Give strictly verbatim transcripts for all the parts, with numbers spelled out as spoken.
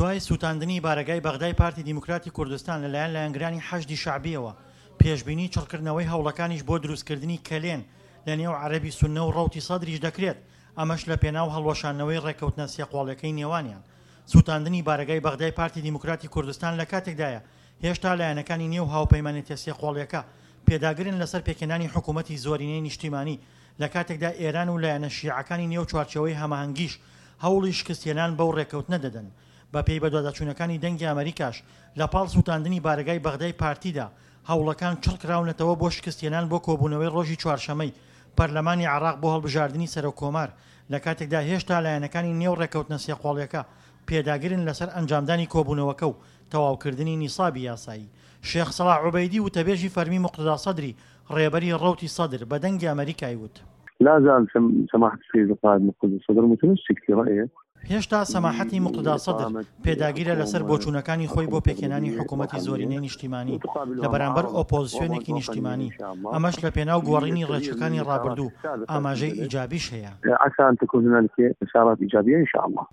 دوای سووتاندنی بارەگای بەغدای پارتی دیموکراتی کوردستان لەلایەن لایەنگرانی حەشدی شەعبییەوە، پێشبینی چڕکردنەوەی هەوڵەکانیش بۆ دروستکردنی کەلێن لەنێو عەرەبی سوننە و ڕەوتی سەدریش دەکرێت، ئەمەش لەپێناو هەڵوەشاندنەوەی ڕێککەوتنە سێقۆڵیەکەی نێوانیان. سووتاندنی بارەگای بەغدای پارتی دیموکراتی کوردستان لەکاتێکدایە، هێشتا لایەنەکانی نێو هاوپەیمانێتیە سێقۆڵیەکە پێداگرن لەسەر پێکهێنانی حکوومەتی زۆرینەی نیشتیمانی، لەکاتێکدا ئێران و لایەنە شیعەکانی نێو چوارچێوەی هەماهەنگیش هەوڵی شکستهێنان بەو ڕێککەوتنە دەدەن. بەپێی بەدواداچوونەکانی دەنگی ئەمەریکاش، لەپاڵ سووتاندنی بارەگای بەغدای پارتیدا، هەوڵەکان چڕکراونەتەوە بۆ شکستهێنان بۆ کۆبوونەوەی ڕۆژی چوارشەمەی پەرلەمانی عێراق بۆ هەڵبژاردنی سەرۆک کۆمار، لەکاتێکدا هێشتا لایەنەکانی نێو ڕێککەوتنە سێقۆڵیەکە پێداگرن لەسەر ئەنجامدانی کۆبوونەوەکە و تەواوکردنی نیسابی یاسایی. شێخ سەڵاح عوبەیدی وتەبێژی فەرمی موقتەدا سەدری ڕێبەری ڕەوتی سەدر بە دەنگی ئەمەریکای وت. لا زال سماحة السيد القائد مقتدى الصدر متمسك في رأيه. هێشتا سەماحەتی موقتەدا سەدر پێداگیرە لەسەر بۆچوونەکانی خۆی بۆ پێکهێنانی حکوومەتی زۆرینەی نیشتیمانی لە بەرامبەر ئۆپۆزسیۆنێکی نیشتیمانی، ئەمەش لە پێناو گۆڕینی ڕێچکەکانی ڕابردوو، ئاماژەی ئیجابیش هەیە. عسى أن تكون هنالك إشارات إيجابية إن شاء الله.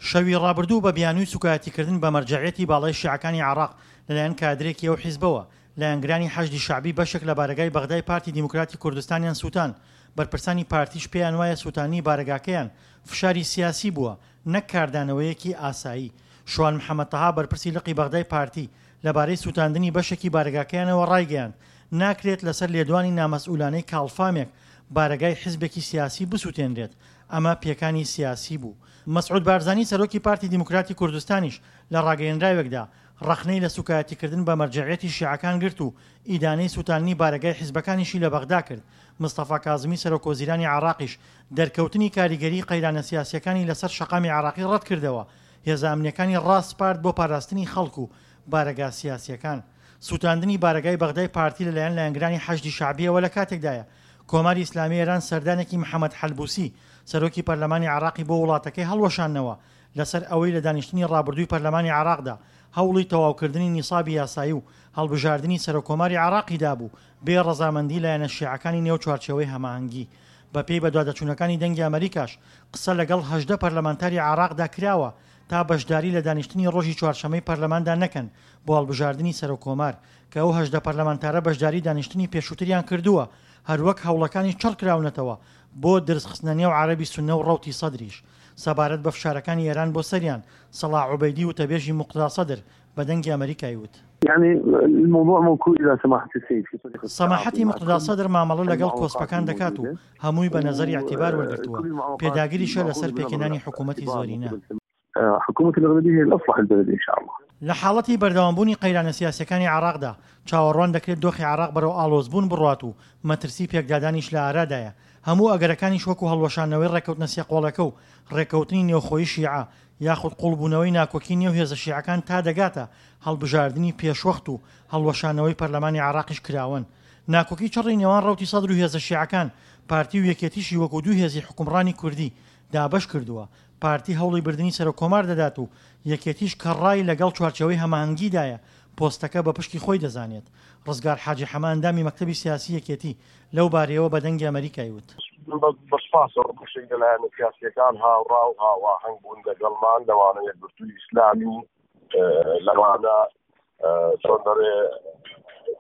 شەوی ڕابردوو بە بیانووی سوکایەتیکردن بە مەرجەعیەتی باڵای شیعەکانی عێراق لەلایەن کادرێکی ئەو حیزبەوە، لایەنگرانی حەشدی شەعبی بەشێک لە بارەگای بەغدای پارتی دیموکراتی کوردستانیان سووتان. بەرپرسانی پارتیش پێیان وایە سووتانی بارەگاکەیان فشاری سیاسی بووە نەک کاردانەوەیەکی ئاسایی. شوان محەمەد تەها بەرپرسی لقی بەغدای پارتی لەبارەی سووتاندنی بەشێکی بارەگاکەیانەوە ڕایگەیاند، ناکرێت لەسەر لێدوانی نامەسئولانەی کاڵفامێک بارەگای حیزبێکی سیاسی بسووتێنرێت، ئەمە پێکانی سیاسی بوو. مەسعود بارزانی سەرۆکی پارتی دیموکراتی کوردستانیش لە ڕاگەیەنراوێکدا ڕەخنەی لە سوکایەتیکردن بە مەرجەعیەتی شیعەکان گرت و ئیدانەی سووتاندنی بارەگای حیزبەکانیشی لە بەغدا کرد. مستەفا کازمی سەرۆک وەزیرانی عێراقیش دەرکەوتنی کاریگەری قەیرانە سیاسیەکانی لەسەر شەقامی عێراقی ڕەتکردەوە، هێزە ئەمنیەکانی ڕاسپارد بۆ پاراستنی خەڵک و بارەگا سیاسیەکان. سووتاندنی بارەگای بەغدای پارتی لەلایەن لایەنگرانی حەشدی شەعبیەوە لە کاتێکدایە کۆماری ئیسلامی ئێران سەردانێکی محەمەد حەلبوسی سەرۆکی پەرلەمانی عێراقی بۆ وڵاتەکەی هەڵوەشاندنەوە لەسەر ئەوەی لە دانیشتنی ڕابردووی پەرلەمانی عێراقدا هەوڵی تەواوکردنی نیسابی یاسایی و هەڵبژاردنی سەرۆککۆماری عێراقی دابوو بێ ڕەزامەندی لایەنە شیعەکانی نێو چوارچێوەی هەماهەنگی. بەپێی بەدواداچوونەکانی دەنگی ئەمەریکاش قسە لەگەڵ هەژدە پەرلەمانتاری عێراقدا کراوە تا بەشداری لە دانیشتنی ڕۆژی چوارشەمەی پەرلەماندا نەکەن بۆ هەڵبژاردنی سەرۆککۆمار، کە ئەو هەژدە پەرلەمانتارە بەشداری دانیشتنی پێشووتریان کردووە، هەروەک هەوڵەکانی چڕکراونەتەوە بۆ درزخستنە نێو عەرەبی سوننە و ڕەوتی سەدریش. سەبارەت بە فشارەکانی ئێران بۆ سەریان، سەڵاح عوبەیدی وتەبێژی موقتەدا سەدر بە دەنگی ئەمەریکای وت. يعني الموضوع موكول إلى سماحة السيد في طريقة سەماحەتی موقتەدا سەدر مامەڵە لەگەڵ کۆسپەکان دەکات و هەمووی بە نەزەری ئیعتیبار وەرگرتووە، پێداگریشە لەسەر پێکهێنانی حکوومەتی زۆرینە. حكومة الأغلبية هي الأصلح للبلد إن شاء الله. لە حاڵەتی بەردەوامبوونی قەیرانە سیاسیەکانی عێراقدا چاوەڕوان دەکرێت دۆخی عێراق بەرەو ئاڵۆزبوون بڕوات و مەترسی پێکدادانیش لە ئارادایە. هەموو ئەگەرەکانیش وەکو هەڵوەشاندنەوەی ڕێککەوتنە سێقۆڵەکە و ڕێککەوتنی نێوخۆیی شیعە یاخود قوڵبوونەوەی ناکۆکی نێو هێزە شیعەکان تا دەگاتە هەڵبژاردنی پێشوەخت و هەڵوەشانەوەی پەرلەمانی عێراقیش کراون. ناکۆکی چڕی نێوان ڕەوتی سەدر و هێزە شیعەکان پارتی و یەکێتیشی وەکو دوو هێزی حوکمڕانی کوردی دابەش کردووە. پارتی هەوڵی بردنی سەرۆک کۆمار دەدات و یەکێتیش کە ڕای لەگەڵ چوارچێوەی هەماهەنگیدایە پۆستەکە بە پشکی خۆی دەزانێت. ڕزگار حاجی حەمە ئەندامی مەکتەبی سیاسی یەکێتی لەو بارەیەوە بە دەنگی ئەمەریکای وت. بە سوپاسەوە بەشێک لە لایەنە سیاسیەکان هاوڕا و هاواهەنگ بوون لەگەڵمان، لەوانە یەکگرتووی ئیسلامی، لەوانە چۆن دەڵێ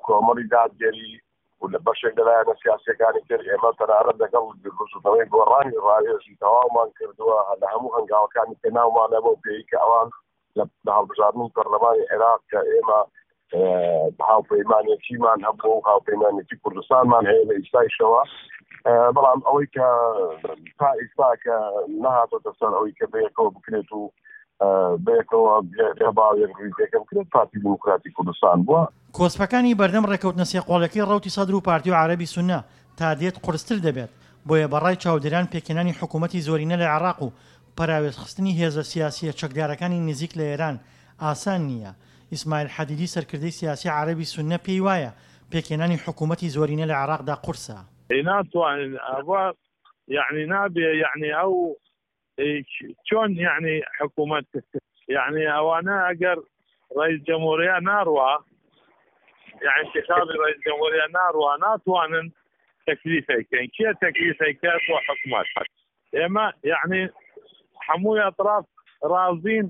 کۆمەڵی دادگەری و لە بەشێک لە لایەنە سیاسیەکانی تر. ئێمە تەنانەت لەگەڵ بزووتنەوەی گۆڕانی ڕاوێژی تەواومان کردووە لە هەموو هەنگاوەکانی پێناومانە بۆ پێی کە ئەوان لە هەڵبژاردنی پەرلەمانی عێراق کە ئێمە هاوپەیمانێتیمان هەبوو و هاوپەیمانێتی کوردستانمان هەیە لە ئیستایشەوە، بەڵام ئەوەی کە تا ئیستا کە نەهاتۆتە سەر ئەوەی کە بەیەکەوە بکرێت و بەیەکەوە ڕیزێکە بکرێت پارتی دیموکراتی کوردستان بووە. کۆسپەکانی بەردەم ڕێککەوتنە سێقۆڵەکەی ڕەوتی سەدر و پارتی و عەرەبی سوننە تا دێت قورستر دەبێت، بۆیە بەڕای چاودێران پێکهێنانی حکوومەتی زۆرینە لە عێراق و پەراوێزخستنی هێزە سیاسیە چەکدارەکانی نزیک لە ئێران ئاسان نییە. ئیسماعیل حەدیدی سەرکردەی سیاسی عەرەبی سوننە پێی وایە پێکهێنانی حکوومەتی زۆرینە لە عێراقدا قورسە. ناتوانین ئەوە یعنی نابێ یعنی ئەو چۆن یعنی حکوومەت یعنی ئەوانە ئەگەر ڕئیس جمهوریە ناڕوا یعنی انتخابی ڕئیس جمهوریە ناڕوا ناتوانن تەکلیفێکەن. کێ تەکلیفێکات بۆ حکوومەت؟ ئێمە یعنی هەمووی ئەطراف ڕازین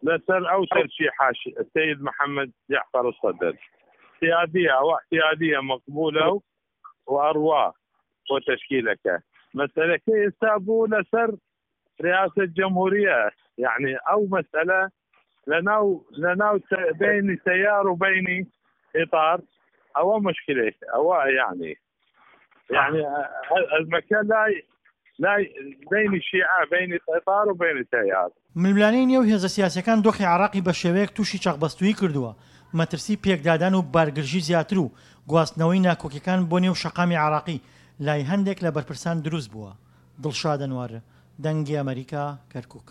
لەسەر ئەو تەرشیحاش سید محەممەد جەعفەر سەدر اعتیادیە، ئەوە اعتیادیە مەقبولە و وئەڕوا بۆ تەشکیلەکە. مەسەلەکە ئێستا بوو لەسەر ریاسە جمهوریە، یعنی ئەو مەسەلە لەناو لەناو بینی تەیار و بینی ئیطار ئەوە مشکلێک، ئەوە یعنی یعنی ئەزمەکە لای لای بینی شیعە، بینی ئیطار و بینی تەیار. ململانێی نێو هێزە سیاسیەکان دۆخی عێراقی بە شێوەیەک تووشی چەقبەستوویی کردووە، مەترسی پێکدادان و بارگرژی زیاتر و گواستنەوەی ناکۆکیەکان بۆ نێو شەقامی عێراقی لای هەندێک لە بەرپرسان دروست بووە. دڵشاد ئەنوەر، دەنگی ئەمەریکا، کەرکوک.